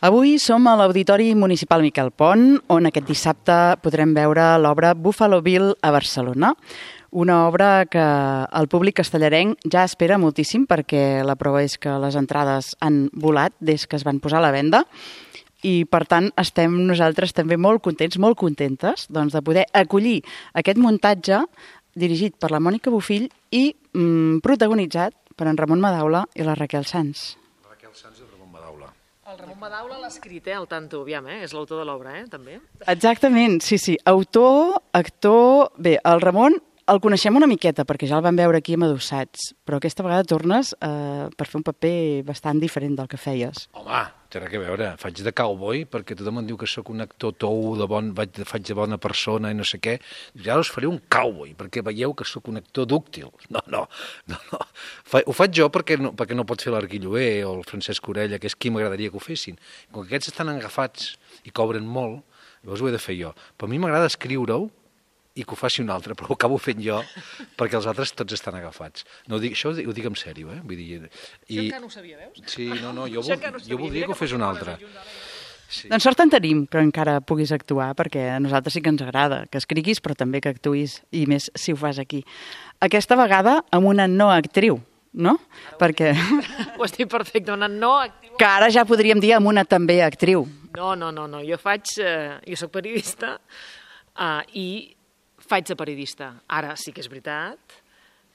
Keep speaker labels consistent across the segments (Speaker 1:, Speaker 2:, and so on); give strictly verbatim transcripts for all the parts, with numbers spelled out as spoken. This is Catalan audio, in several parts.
Speaker 1: Avui som a l'Auditori Municipal Miquel Pont, on aquest dissabte podrem veure l'obra Buffalo Bill a Barcelona. Una obra que el públic castellarenc ja espera moltíssim perquè la prova és que les entrades han volat des que es van posar a la venda i, per tant, estem nosaltres també molt contents, molt contentes doncs, de poder acollir aquest muntatge dirigit per la Mònica Bofill i mm, protagonitzat per en Ramon Madaula i la Raquel Sans.
Speaker 2: Raquel Sans i el Ramon Madaula.
Speaker 3: El Ramon Madaula l'ha escrit, eh, al tanto, aviam, eh? És l'autor de l'obra, eh, també.
Speaker 1: Exactament, sí, sí. Autor, actor... Bé, el Ramon el coneixem una miqueta, perquè ja el vam veure aquí a Adossats, però aquesta vegada tornes eh, per fer un paper bastant diferent del que feies.
Speaker 2: Home, té res a veure. Faig de cowboy, perquè tothom em diu que sóc un actor tou, de bon, vaig, faig de bona persona i no sé què. Ja us faré un cowboy, perquè veieu que sóc un actor dúctil. No, no, no. no. Fa, ho faig jo perquè no, perquè no pot fer l'Arguilloé o el Francesc Orella, que és qui m'agradaria que ho fessin. Com que aquests estan agafats i cobren molt, llavors ho he de fer jo. Però a mi m'agrada escriure-ho i que ho faci un altre, però ho acabo fent jo perquè els altres tots estan agafats. No, ho dic, això ho dic, ho dic en sèrio, eh? Vull dir,
Speaker 3: i... Això encara no ho sabia, veus?
Speaker 2: Sí, no, no, jo, vol, no jo voldria que ho fes un altre.
Speaker 1: Sí. Doncs sort en tenim que encara puguis actuar, perquè a nosaltres sí que ens agrada que escriguis, però també que actuïs, i més si ho fas aquí. Aquesta vegada amb una no actriu, no?
Speaker 3: Ara
Speaker 1: perquè...
Speaker 3: Ho estic perfecte, una no actriu.
Speaker 1: Que ara ja podríem dir amb una també actriu.
Speaker 3: No, no, no, no. Jo faig... Eh, jo soc periodista eh, i faig de periodista. Ara sí que és veritat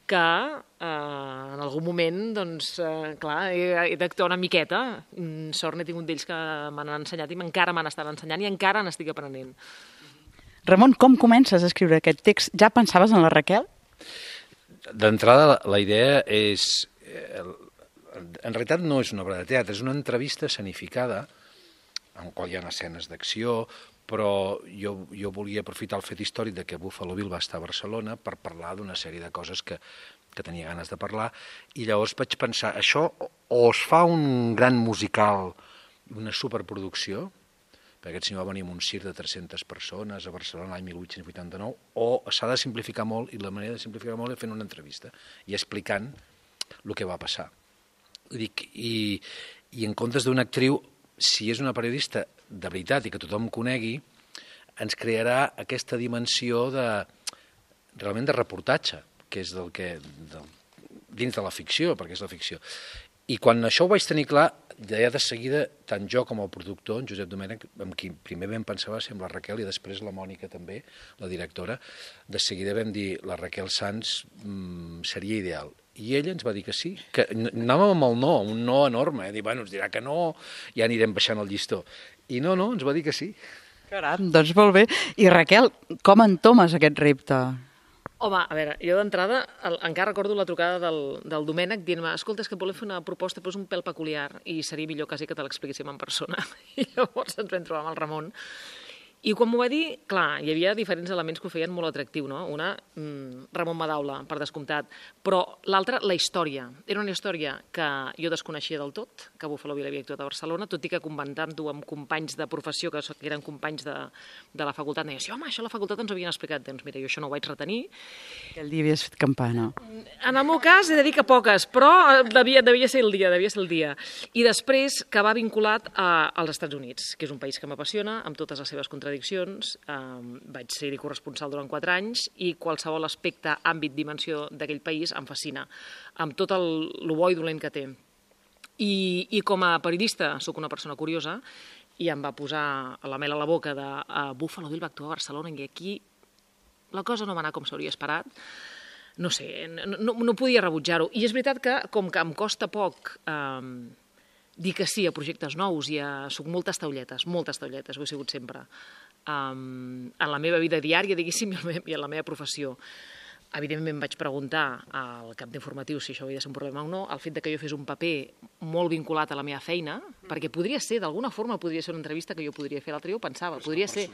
Speaker 3: que eh, en algun moment, doncs, eh, clar, he, he d'actuar una miqueta. Sort n'he tingut d'ells que m'han ensenyat i encara m'han estat ensenyant i encara n'estic aprenent.
Speaker 1: Ramon, com comences a escriure aquest text? Ja pensaves en la Raquel?
Speaker 2: D'entrada, la, la idea és... Eh, en realitat no és una obra de teatre, és una entrevista escenificada en qual hi ha escenes d'acció, però jo, jo volia aprofitar el fet històric de que Buffalo Bill va estar a Barcelona per parlar d'una sèrie de coses que, que tenia ganes de parlar, i llavors vaig pensar, això o es fa un gran musical, una superproducció, perquè aquest senyor va venir amb un circ de tres-centes persones a Barcelona l'any mil vuit-cents vuitanta-nou, o s'ha de simplificar molt, i la manera de simplificar molt és fent una entrevista i explicant el que va passar. Dic, i, i en comptes d'una actriu, si és una periodista de veritat i que tothom conegui, ens crearà aquesta dimensió de, realment de reportatge, que és del que, del, dins de la ficció, perquè és la ficció. I quan això ho vaig tenir clar, ja de seguida, tant jo com el productor, en Josep Domènech, amb qui primer vam pensar va ser amb la Raquel i després la Mònica també, la directora, de seguida vam dir, la Raquel Sans mmm, seria ideal. I ella ens va dir que sí, que anàvem amb el no, un no enorme, eh? Dir, bueno, ens dirà que no, ja anirem baixant el llistó. I no, no, ens va dir que sí.
Speaker 1: Caram, doncs molt bé. I Raquel, com entomes aquest repte?
Speaker 3: Home, a veure, jo d'entrada encara recordo la trucada del, del Domènec dient-me, escolta, és que volem fer una proposta, però és un pèl peculiar i seria millor quasi que te l'expliquéssim en persona. I llavors ens vam trobar amb el Ramon. I quan m'ho va dir, clar, hi havia diferents elements que ho feien molt atractiu, no? Una, mmm, Ramon Madaula, per descomptat, però l'altra, la història. Era una història que jo desconeixia del tot, que Buffalo Bill havia actuat a Barcelona, tot i que comentant-ho amb companys de professió, que eren companys de, de la facultat, deia, sí, home, això a la facultat ens ho havien explicat. Doncs mira, jo això no ho vaig retenir.
Speaker 1: Aquell dia havies fet campana.
Speaker 3: En el meu cas, he de dir que poques, però devia, devia ser el dia, devia ser el dia. I després, que va vinculat a, als Estats Units, que és un país que m'apassiona, amb totes les seves contradiccions. Um, vaig ser-hi corresponsal durant quatre anys i qualsevol aspecte, àmbit, dimensió d'aquell país em fascina, amb tot el, el bo i dolent que té. I, I com a periodista sóc una persona curiosa i em va posar la mel a la boca de uh, Buffalo Bill va actuar a Barcelona i aquí la cosa no va anar com s'hauria esperat. No sé, no, no, no podia rebutjar-ho. I és veritat que, com que em costa poc... Um, dir que sí a projectes nous i a... soc moltes taulletes, moltes taulletes, ho he sigut sempre, um, en la meva vida diària, diguéssim, i en la meva professió. Evidentment vaig preguntar al cap d'informatius si això havia de ser un problema o no, el fet de que jo fes un paper molt vinculat a la meva feina, perquè podria ser, d'alguna forma, podria ser una entrevista que jo podria fer, l'altre dia ho pensava, podria ser...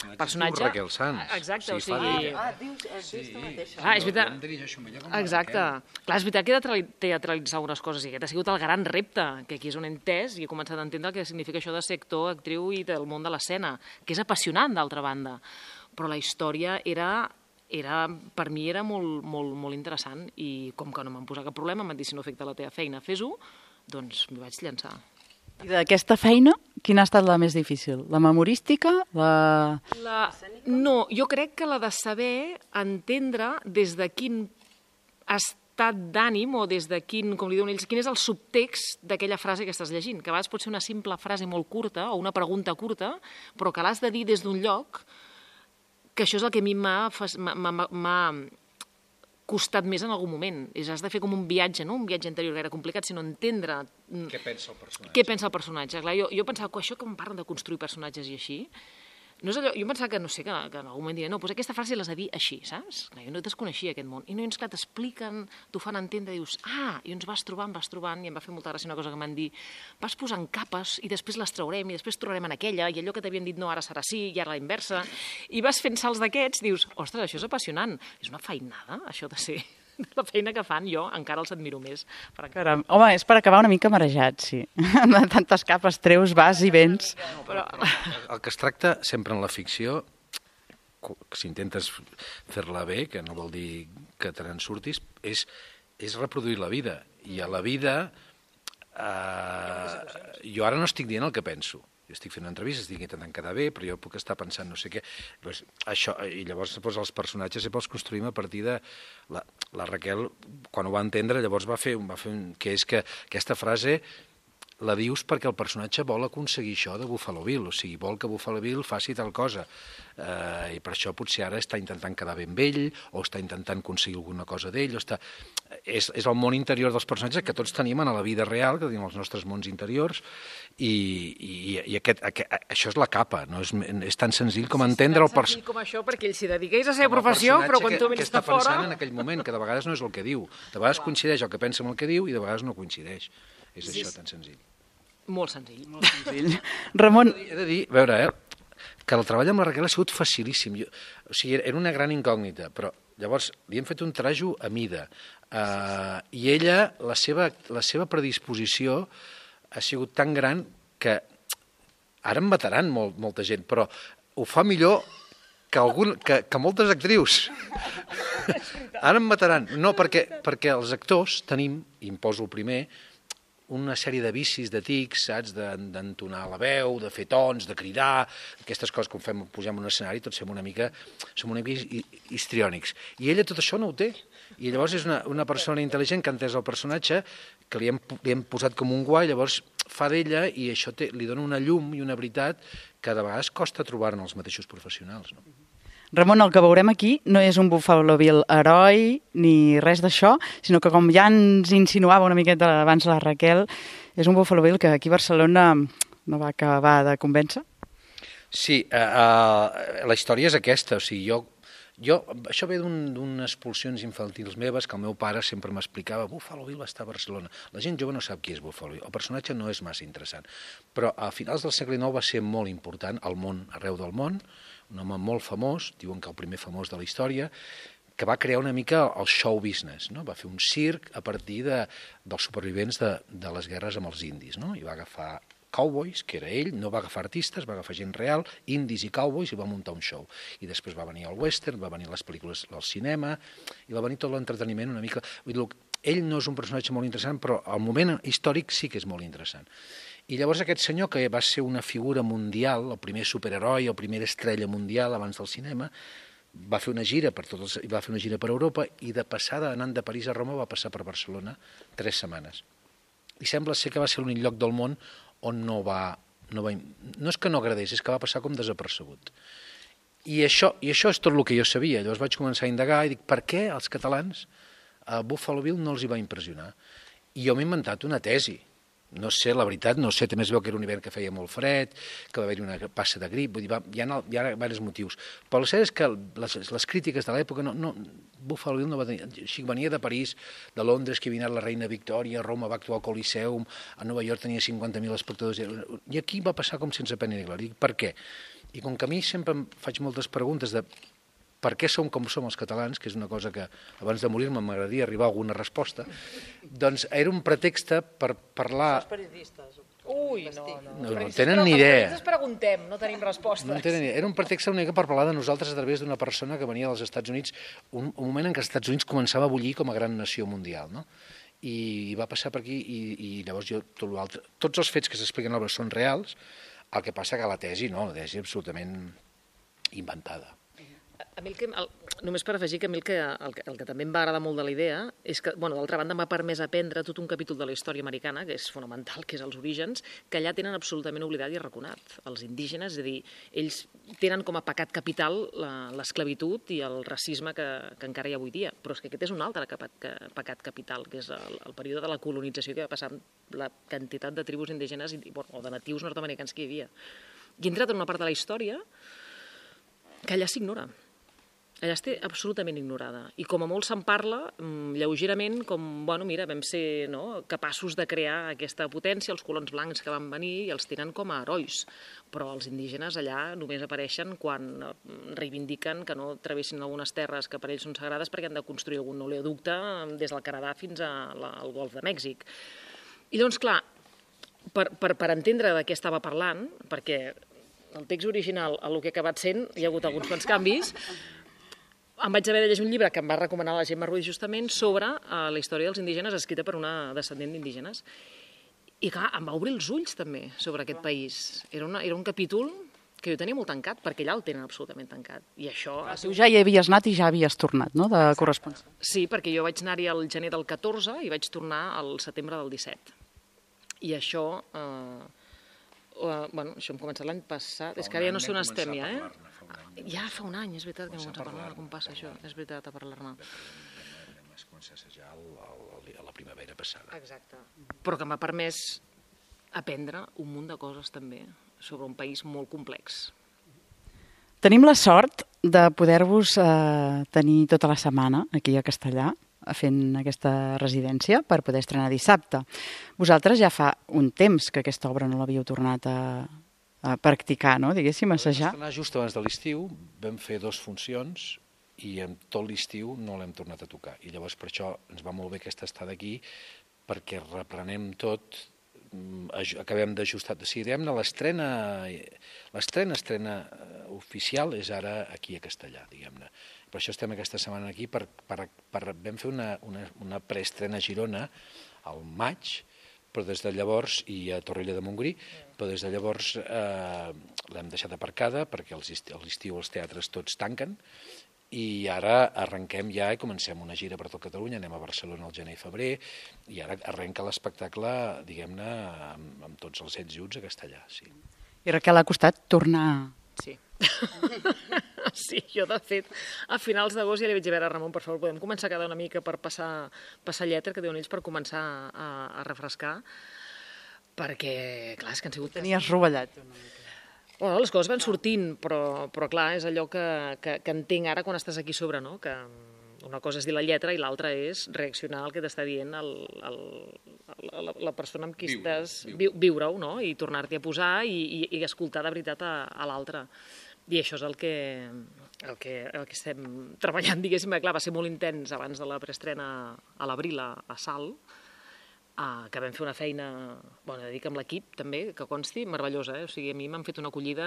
Speaker 2: El personatge Raquel Sans.
Speaker 3: Exacte, o sigui...
Speaker 1: Ah, dius aquesta mateixa.
Speaker 3: Ah, és veritat. Exacte. Clar, és veritat que he de teatralitzar unes coses i aquest ha sigut el gran repte, que aquí és on he entès i he començat a entendre el que significa això de ser actor, actriu i del món de l'escena, que és apassionant, d'altra banda. Però la història era... Era, per mi era molt, molt, molt interessant i com que no m'han posat cap problema, m'han dit si no afecta la teva feina, fes-ho, doncs m'hi vaig llançar.
Speaker 1: I d'aquesta feina, quina ha estat la més difícil? La memorística? La...
Speaker 3: La... No, jo crec que la de saber entendre des de quin estat d'ànim o des de quin, com li diuen ells, quin és el subtext d'aquella frase que estàs llegint, que a vegades pot ser una simple frase molt curta o una pregunta curta, però que l'has de dir des d'un lloc, que això és el que a mi m'ha costat més en algun moment. És, has de fer com un viatge, no un viatge interior gaire complicat, sinó entendre...
Speaker 2: Què pensa el personatge?
Speaker 3: Què pensa el personatge. Clar, jo, jo pensava que això que em parlen de construir personatges i així, no és allò, jo pensava que, no sé, que, que en algun moment diré, no, doncs aquesta frase l'has de dir així, saps? Clar, jo no desconeixia aquest món. I no, clar, t'expliquen, t'ho fan entendre, dius, ah, i ens vas trobant, vas trobant, i em va fer molta gràcia una cosa que m'han dit, vas posant capes i després les traurem i després tornarem en aquella, i allò que t'havien dit no, ara serà sí, i ara la inversa, i vas fent salts d'aquests, dius, ostres, això és apassionant. És una feinada, això de ser... La feina que fan, jo encara els admiro més.
Speaker 1: Caram, home, és per acabar una mica marejat, sí. De tantes capes treus, vas i vens.
Speaker 2: No, però... El que es tracta sempre en la ficció, si intentes fer-la bé, que no vol dir que te n'en surtis, és, és reproduir la vida. I a la vida, eh, jo ara no estic dient el que penso. Jo estic fent una entrevista, estic intentant quedar bé, però jo puc estar pensant no sé què. Pues, això, i llavors pues, els personatges sempre els construïm a partir de... La, la Raquel, quan ho va entendre, llavors va fer, va fer un... que és que aquesta frase la dius perquè el personatge vol aconseguir això de Buffalo Bill, o sigui, vol que Buffalo Bill faci tal cosa. Eh, I per això potser ara està intentant quedar bé amb ell, o està intentant aconseguir alguna cosa d'ell, o està... És, és el món interior dels personatges que tots tenim a la vida real, que tenim els nostres mons interiors, i, i, i aquest, aquest, això és la capa, no? És, és tan senzill com entendre el personatge.
Speaker 3: Com això, perquè ell s'hi dediqués a la seva professió, però quan tu vens de fora...
Speaker 2: Que està pensant en aquell moment, que de vegades no és el que diu. De vegades coincideix el que pensa amb el que diu i de vegades no coincideix. És això, tan senzill.
Speaker 3: Molt senzill.
Speaker 1: Molt senzill. Ramon...
Speaker 2: He de dir, a veure, eh, que el treball amb la Raquel ha sigut facilíssim. Jo, o sigui, era una gran incògnita, però llavors li hem fet un trajo a mida. Uh, I ella, la seva, la seva predisposició ha sigut tan gran que ara em mataran molt, molta gent, però ho fa millor que, algun, que, que moltes actrius. Ara em mataran. No, perquè, perquè els actors tenim, i em poso el primer, una sèrie de vicis, de tics, saps? D'entonar la veu, de fer tons, de cridar, aquestes coses que fem, pugem un escenari, tots som una mica, som una mica histriònics. I ella tot això no ho té. I llavors és una, una persona intel·ligent que ha entès el personatge, que li hem, li hem posat com un guai, llavors fa d'ella i això té, li dona una llum i una veritat que de vegades costa trobar-ne els mateixos professionals, no?
Speaker 1: Ramon, el que veurem aquí no és un Buffalo Bill heroi ni res d'això, sinó que com ja ens insinuava una miqueta abans la Raquel, és un Buffalo Bill que aquí a Barcelona no va acabar de convèncer.
Speaker 2: Sí, uh, uh, la història és aquesta, o sigui, jo, jo això ve d'unes pulsions infantils meves que el meu pare sempre m'explicava, Buffalo Bill va estar a Barcelona. La gent jove no sap qui és Buffalo Bill, el personatge no és massa interessant, però a finals del segle nou va ser molt important al món, arreu del món, un home molt famós, diuen que el primer famós de la història, que va crear una mica el show business, no? Va fer un circ a partir de, dels supervivents de, de les guerres amb els indis, no? I va agafar cowboys, que era ell, no va agafar artistes, va agafar gent real, indis i cowboys, i va muntar un show. I després va venir el western, va venir les pel·lícules al cinema, i va venir tot l'entreteniment una mica... Vull dir, ell no és un personatge molt interessant, però al moment històric sí que és molt interessant. I llavors aquest senyor, que va ser una figura mundial, el primer superheroi, el primer estrella mundial abans del cinema, va fer una gira per tots els, va fer una gira per Europa i de passada, anant de París a Roma, va passar per Barcelona tres setmanes. I sembla ser que va ser l'únic lloc del món on no va, no va... No és que no agradés, és que va passar com desapercebut. I això, i això és tot el que jo sabia. Llavors vaig començar a indagar i dic, per què als catalans a Buffalo Bill no els hi va impressionar? I jo m'he inventat una tesi. No sé, la veritat, no sé, també es veu que era un hivern que feia molt fred, que va haver-hi una passa de grip, vull dir, va, hi, ha, hi ha diversos motius. Però el cert és que les, les crítiques de l'època, no, no, Buffalo Bill no va tenir... Així, venia de París, de Londres, que havia anat la reina Victòria, a Roma va actuar al Coliseum, a Nova York tenia cinquanta mil espectadors, i aquí va passar com sense pena ni glòria. Per què? I com que a mi sempre em faig moltes preguntes de per què som com som els catalans, que és una cosa que abans de morir-me m'agradaria arribar a alguna resposta, doncs era un pretext per parlar...
Speaker 3: Els periodistes. Ui, no, no.
Speaker 2: No, no tenen ni idea.
Speaker 3: Els preguntem, no tenim respostes.
Speaker 2: No tenen ni idea. Era un pretext una mica per parlar de nosaltres a través d'una persona que venia dels Estats Units, un, un moment en què els Estats Units començava a bullir com a gran nació mundial, no? i va passar per aquí i, i llavors jo tot l'altre... Tots els fets que s'expliquen a l'obra són reals, el que passa que la tesi no, la tesi absolutament inventada.
Speaker 3: A mi el que, el, només per afegir que a mi el que, el, que, el que també em va agradar molt de la idea és que, bueno, d'altra banda, m'ha permès aprendre tot un capítol de la història americana, que és fonamental, que és els orígens, que allà tenen absolutament oblidat i arraconat. Els indígenes, és a dir, ells tenen com a pecat capital l'esclavitud i el racisme que, que encara hi ha avui dia, però és que aquest és un altre pecat, que, pecat capital, que és el, el període de la colonització que va passar amb la quantitat de tribus indígenes i, bueno, o de natius nord-americans que hi havia. I he entrat en una part de la història que allà s'ignora. Allà està absolutament ignorada. I com a molt se'n parla, lleugerament, com, bueno, mira, vam ser no, capaços de crear aquesta potència, els colons blancs que van venir i els tenen com a herois. Però els indígenes allà només apareixen quan reivindiquen que no travessin algunes terres que per ells són sagrades perquè han de construir algun oleoducte des del Canadà fins al Golf de Mèxic. I llavors, clar, per, per, per entendre de què estava parlant, perquè el text original, a el que ha acabat sent, hi ha hagut alguns quants canvis, em vaig haver de llegir un llibre que em va recomanar la Gemma Ruiz justament sobre uh, la història dels indígenes escrita per una descendent d'indígenes. I clar, em va obrir els ulls també sobre aquest país. Era, una, era un capítol que jo tenia molt tancat, perquè allà el tenen absolutament tancat. I això...
Speaker 1: Ah, tu ja hi havies anat i ja havies tornat, no?, de corresponsal.
Speaker 3: Sí, perquè jo vaig anar-hi al gener del catorze i vaig tornar al setembre del disset. I això... Uh, uh, bueno, això hem començat l'any passat. És que ara ja no sé on estem, ja, eh? Ja fa un any, és veritat que hem començat a parlar, com passa això, és veritat, a parlar-ne.
Speaker 2: Vam començar a assajar a la primavera passada.
Speaker 3: Exacte. Però que m'ha permès aprendre un munt de coses també sobre un país molt complex.
Speaker 1: Tenim la sort de poder-vos eh, tenir tota la setmana aquí a Castellà fent aquesta residència per poder estrenar dissabte. Vosaltres ja fa un temps que aquesta obra no l'havíeu tornat a, a practicar, no? Diguéssim, assajar.
Speaker 2: Vam estrenar just abans de l'estiu, vam fer dues funcions i en tot l'estiu no l'hem tornat a tocar. I llavors per això ens va molt bé aquesta estada aquí, perquè reprenem tot, acabem d'ajustar. Si diguem-ne, l'estrena, l'estrena, estrena oficial és ara aquí a Castellà, diguem-ne. Per això estem aquesta setmana aquí, per, per, per, vam fer una, una, una preestrena a Girona al maig, però des de llavors, i a Torroella de Montgrí, però des de llavors eh, l'hem deixat aparcada perquè a l'estiu els teatres tots tanquen i ara arrenquem ja i comencem una gira per tot Catalunya, anem a Barcelona al gener i febrer i ara arrenca l'espectacle, diguem-ne, amb, amb tots els ets i uts a Castellà, sí.
Speaker 1: I Raquel, ha costat tornar...
Speaker 3: Sí. Sí, jo de fet, a finals d'agost ja li vaig dir a veure, Ramon, per favor, podem començar a quedar una mica per passar, passar lletra, que diuen ells, per començar a, a refrescar, perquè, clar, és que han sigut...
Speaker 1: Tenies rovellat una mica.
Speaker 3: Bueno, les coses van sortint, però, però clar, és allò que, que, que entenc ara quan estàs aquí sobre, no? Que una cosa és dir la lletra i l'altra és reaccionar al que t'està dient el, el, la, la persona amb qui viure, estàs... Viure. Viure-ho, no? I tornar-t'hi a posar i, i, i escoltar de veritat a, a l'altre. I això és el que, el, que, el que estem treballant, diguéssim. Clar, va ser molt intens abans de la preestrena a l'Abril a, a Salt, Uh, que vam fer una feina, bueno, de dir que amb l'equip també, que consti, meravellosa, eh? O sigui, a mi m'han fet una acollida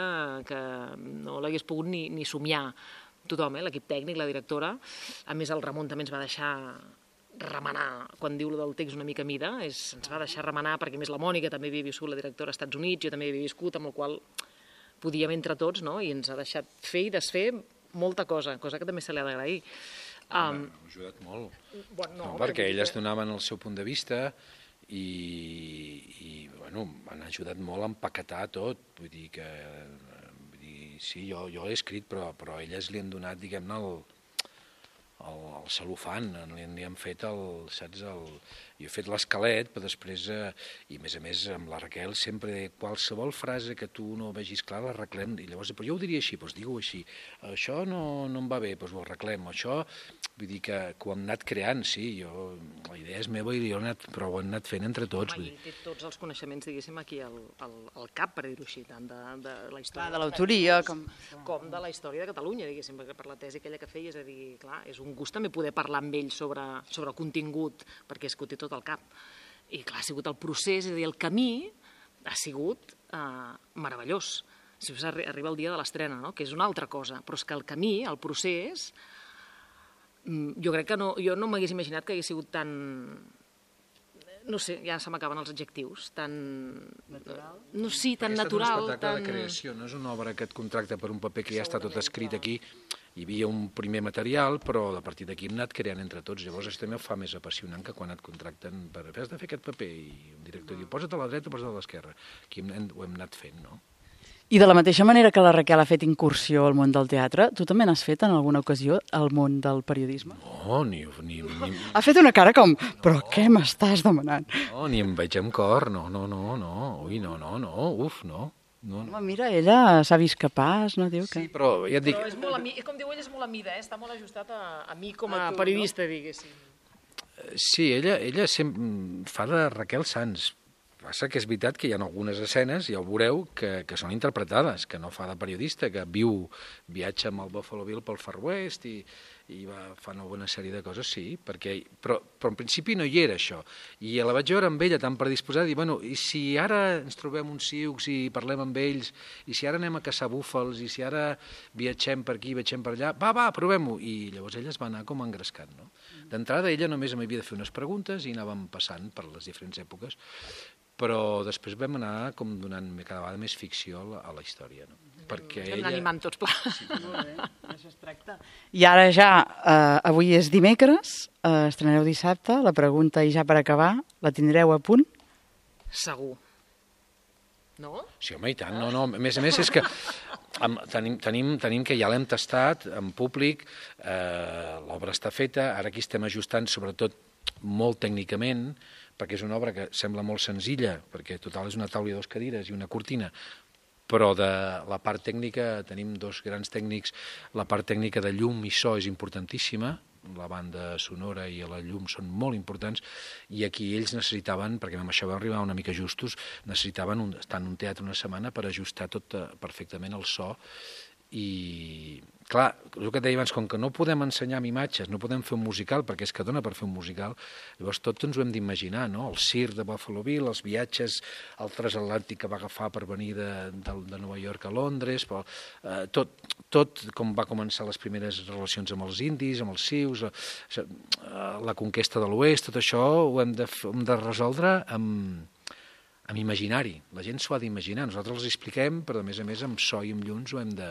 Speaker 3: que no l'hagués pogut ni, ni somiar tothom, eh? L'equip tècnic, la directora, a més el Ramon també ens va deixar remenar, quan diu del text una mica mida, és, ens va deixar remenar perquè més la Mònica també havia viscut, la directora als Estats Units, jo també havia viscut, amb el qual podíem entre tots, no? I ens ha deixat fer i desfer molta cosa, cosa que també se li ha d'agrair.
Speaker 2: Um, ha ajudat molt, bueno, no, no, perquè elles donaven el seu punt de vista i, i bueno, han ajudat molt a empaquetar tot, vull dir que vull dir, sí, jo, jo l'he escrit, però, però elles li han donat, diguem-ne, el, el, el celofan, li, li han fet el, saps, el... Jo he fet l'esquelet, però després, eh, i a més a més amb la Raquel, sempre qualsevol frase que tu no vegis clar l'arreglem, i llavors, però jo ho diria així, doncs digue-ho així, això no, no em va bé, doncs ho arreglem, això, vull dir que, que ho hem anat creant, sí, jo, la idea és meva i jo he anat, però ho hem anat fent entre tots.
Speaker 3: Home, i té tots els coneixements, diguéssim, aquí al, al, al cap, per dir-ho així, tant de, de la història...
Speaker 1: Clar, de l'autoria, com...
Speaker 3: Com de la història de Catalunya, diguéssim, perquè per la tesi aquella que feia, és a dir, clar, és un gust també poder parlar amb ell sobre, sobre el contingut, perquè és que ho té tot al cap. I clar, ha sigut el procés, és a dir, el camí ha sigut eh, meravellós. Si us arriba el dia de l'estrena, no? Que és una altra cosa, però és que el camí, el procés, jo crec que no, jo no m'hagués imaginat que hagués sigut tan, no sé, ja se m'acaben els adjectius, tan...
Speaker 1: Natural?
Speaker 3: No, sí, tan
Speaker 2: Perquè
Speaker 3: natural,
Speaker 2: és un espectacle
Speaker 3: tan...
Speaker 2: de creació, no és una obra que et contracta per un paper que ja està tot escrit aquí. Hi havia un primer material, però a partir d'aquí hem anat creant entre tots. Llavors això també ho fa més apassionant que quan et contracten per has de fer aquest paper i un director diu posa't a la dreta o posa't a l'esquerra. Aquí hem, ho hem anat fent, no?
Speaker 1: I de la mateixa manera que la Raquel ha fet incursió al món del teatre, tu també n'has fet en alguna ocasió al món del periodisme?
Speaker 2: No, ni... ni, ni...
Speaker 1: Ha fet una cara com, però què m'estàs demanant?
Speaker 2: No, ni em veig amb cor, no, no, no, no, ui, no, no, no, uf, no. No, no.
Speaker 1: Home, mira, ella s'ha vist capaç, no diu que...
Speaker 2: Sí, però ja et dic...
Speaker 3: Però és molt a mi, com diu ella, és molt a mida, eh? Està molt ajustat a, a mi com a periodista, diguéssim.
Speaker 2: Sí, ella, ella sempre fa de Raquel Sans. Passa que és veritat que hi ha algunes escenes, ja ho veureu, que, que són interpretades, que no fa de periodista, que viu, viatja amb el Buffalo Bill pel Far West i, i va, fa una bona sèrie de coses, sí, perquè, però, però en principi no hi era això. I la vaig veure amb ella tan predisposada, i bueno, i si ara ens trobem uns sioux i parlem amb ells, i si ara anem a caçar búfals, i si ara viatgem per aquí, viatgem per allà, va, va, provem-ho. I llavors ella es va anar com engrescant, no? D'entrada ella només m'havia de fer unes preguntes i anàvem passant per les diferents èpoques, però després vam anar com donant cada vegada més ficció a la, a la història, no? Perquè
Speaker 3: Estem
Speaker 2: ella...
Speaker 3: animant tots pla.
Speaker 1: Sí, molt bé, això es tracta. I ara ja, eh, avui és dimecres, eh, estrenareu dissabte, la pregunta i ja per acabar, la tindreu a punt?
Speaker 3: Segur. No?
Speaker 2: Sí, home, i tant. No, no. A més a més és que amb, tenim, tenim, tenim que ja l'hem tastat en públic, eh, l'obra està feta, ara aquí estem ajustant sobretot molt tècnicament, perquè és una obra que sembla molt senzilla, perquè total és una taula i dues cadires i una cortina, però de la part tècnica tenim dos grans tècnics. La part tècnica de llum i so és importantíssima, la banda sonora i la llum són molt importants, i aquí ells necessitaven, perquè amb això vam arribar una mica justos, necessitaven un, estar en un teatre una setmana per ajustar tot perfectament el so. I clar, el que et deia abans, com que no podem ensenyar amb imatges, no podem fer un musical, perquè és que dona per fer un musical, llavors tot ens ho hem d'imaginar, no? El circ de Buffalo Bill, els viatges al transatlàntic que va agafar per venir de, de, de Nova York a Londres, però, eh, tot, tot com va començar les primeres relacions amb els indis, amb els sius, eh, la conquesta de l'oest, tot això ho hem de, hem de resoldre amb amb imaginari. La gent s'ho ha d'imaginar. Nosaltres els expliquem, però a més a més amb so i amb llums ho hem de...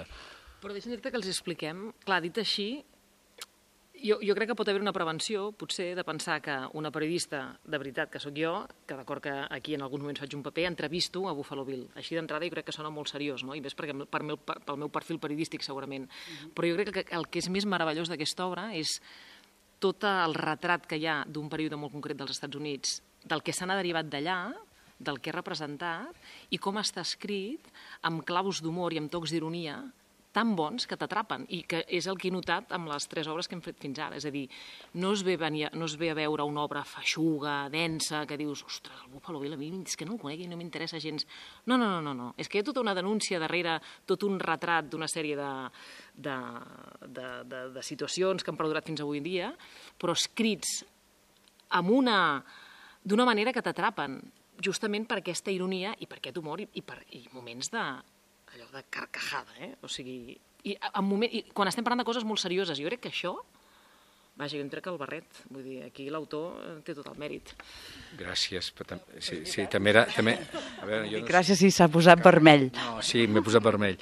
Speaker 3: Però deixa'm dir-te que els expliquem. Clar, dit així, jo, jo crec que pot haver una prevenció, potser, de pensar que una periodista, de veritat, que sóc jo, que d'acord que aquí en alguns moments faig un paper, entrevisto a Buffalo Bill. Així d'entrada jo crec que sona molt seriós, no? I més perquè per meu, pel meu perfil periodístic, segurament. Uh-huh. Però jo crec que el que és més meravellós d'aquesta obra és tot el retrat que hi ha d'un període molt concret dels Estats Units, del que se n'ha derivat d'allà, del que ha representat i com està escrit amb claus d'humor i amb tocs d'ironia tan bons que t'atrapen i que és el que he notat amb les tres obres que hem fet fins ara. És a dir, no es ve, venir, no es ve a veure una obra feixuga, densa, que dius, ostres, el Buffalo Bill a mi és que no el conec i no m'interessa gens. No, no, no, no, no. És que hi ha tota una denúncia darrere, tot un retrat d'una sèrie de, de, de, de, de situacions que han perdurat fins avui en dia, però escrits amb una, d'una manera que t'atrapen, justament per aquesta ironia i per aquest humor i, i per i moments de, allò de carcajada, eh? O sigui, i, en moment, i quan estem parlant de coses molt serioses, jo crec que això, vaja, jo em trec el barret, vull dir, aquí l'autor té tot el mèrit.
Speaker 2: Gràcies, però sí, sí, també era... També, a veure, jo no
Speaker 1: Gràcies si s'ha posat vermell.
Speaker 2: No, sí, m'he posat vermell,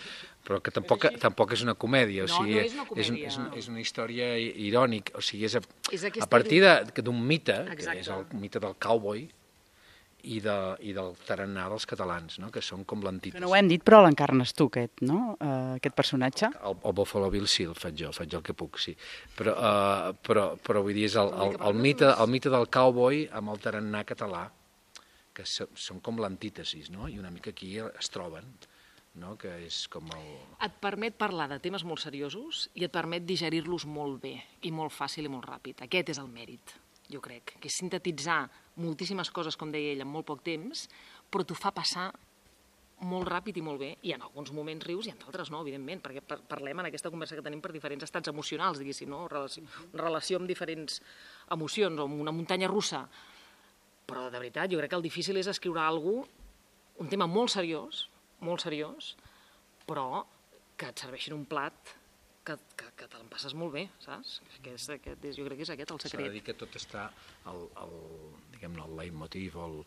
Speaker 2: però que tampoc, tampoc és una comèdia, o
Speaker 3: No,
Speaker 2: sigui,
Speaker 3: no és una comèdia.
Speaker 2: És, és, és una història irònica, o sigui, és a,
Speaker 3: És aquesta
Speaker 2: a partir de- d'un mite, que
Speaker 3: Exacte.
Speaker 2: és el mite del cowboy, i, de, i del tarannà dels catalans, no? Que són com
Speaker 1: Que
Speaker 2: l'antítesi.
Speaker 1: no ho hem dit, però l'encarnes tu, aquest, no? Uh, aquest personatge.
Speaker 2: El, el Buffalo Bill sí, el faig jo, faig el que puc, sí. Però, uh, però, però vull dir, és el, el, el, mite, el mite del cowboy amb el tarannà català, que so, són com l'antítesis, no? I una mica aquí es troben, no? Que és com el...
Speaker 3: Et permet parlar de temes molt seriosos i et permet digerir-los molt bé i molt fàcil i molt ràpid. Aquest és el mèrit, jo crec, que és sintetitzar moltíssimes coses, com deia ell, en molt poc temps, però t'ho fa passar molt ràpid i molt bé, i en alguns moments rius i en d'altres no, evidentment, perquè parlem en aquesta conversa que tenim per diferents estats emocionals, diguéssim, no? Relació, relació amb diferents emocions, o amb una muntanya russa. Però, de veritat, jo crec que el difícil és escriure alguna cosa, un tema molt seriós, molt seriós, però que et serveixin un plat que, que, que te l'empasses molt bé, saps? Aquest, aquest, jo crec que és aquest el secret.
Speaker 2: S'ha de dir que tot està, el, el, diguem-ne, el leitmotiv o el,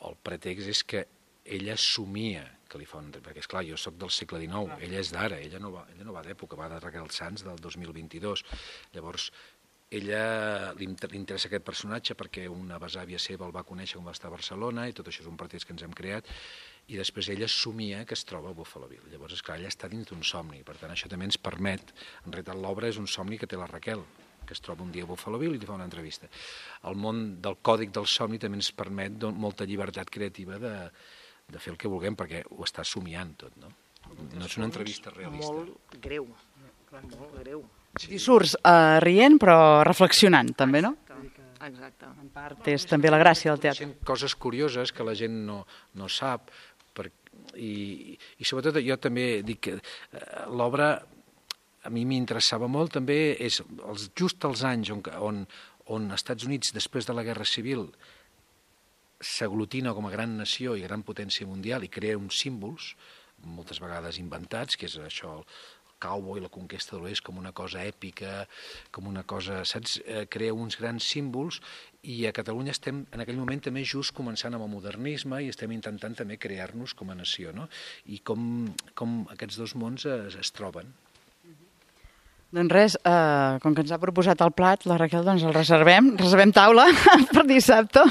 Speaker 2: el pretext és que ella somia que li fa un... Perquè, esclar, jo sóc del segle dinou, ah. ella és d'ara, ella no va, ella no va d'època, va de Raquel Sanz del dos mil vint-i-dos. Llavors, ella li interessa aquest personatge perquè una besàvia seva el va conèixer quan va estar a Barcelona i tot això és un pretext que ens hem creat, i després ella somia que es troba a Buffalo Bill. Llavors, esclar, ella està dins d'un somni, per tant, això també ens permet, en realitat l'obra és un somni que té la Raquel, que es troba un dia a Buffalo Bill i li fa una entrevista. El món del còdic del somni també ens permet molta llibertat creativa de, de fer el que vulguem, perquè ho està somiant tot, no? No és una entrevista realista.
Speaker 3: Molt greu, molt greu.
Speaker 1: Sí. I surts uh, rient però reflexionant, també, no?
Speaker 3: Exacte.
Speaker 1: En part és també la gràcia del teatre.
Speaker 2: Coses curioses que la gent no, no sap, per, i, i sobretot jo també dic que uh, l'obra a mi m'interessava molt també, és els, just els anys on, on, on els Estats Units, després de la Guerra Civil, s'aglutina com a gran nació i gran potència mundial i crea uns símbols, moltes vegades inventats, que és això, el cowboy, la conquesta de l'oest, com una cosa èpica, com una cosa, saps? Eh, crea uns grans símbols i a Catalunya estem en aquell moment també just començant amb el modernisme i estem intentant també crear-nos com a nació, no? I com, com aquests dos mons es, es troben.
Speaker 1: Doncs res, eh, com que ens ha proposat el plat, la Raquel, doncs el reservem, reservem taula per dissabte.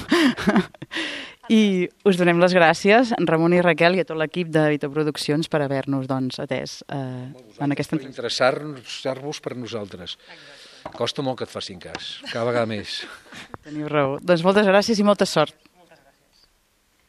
Speaker 1: I us donem les gràcies, Ramon i Raquel, i a tot l'equip de Vito Produccions per haver-nos doncs, atès eh, en aquesta
Speaker 2: entrevista. Interessar-vos per nosaltres. Costa molt que et facin cas, cada vegada més.
Speaker 1: Teniu raó. Doncs moltes gràcies i molta sort.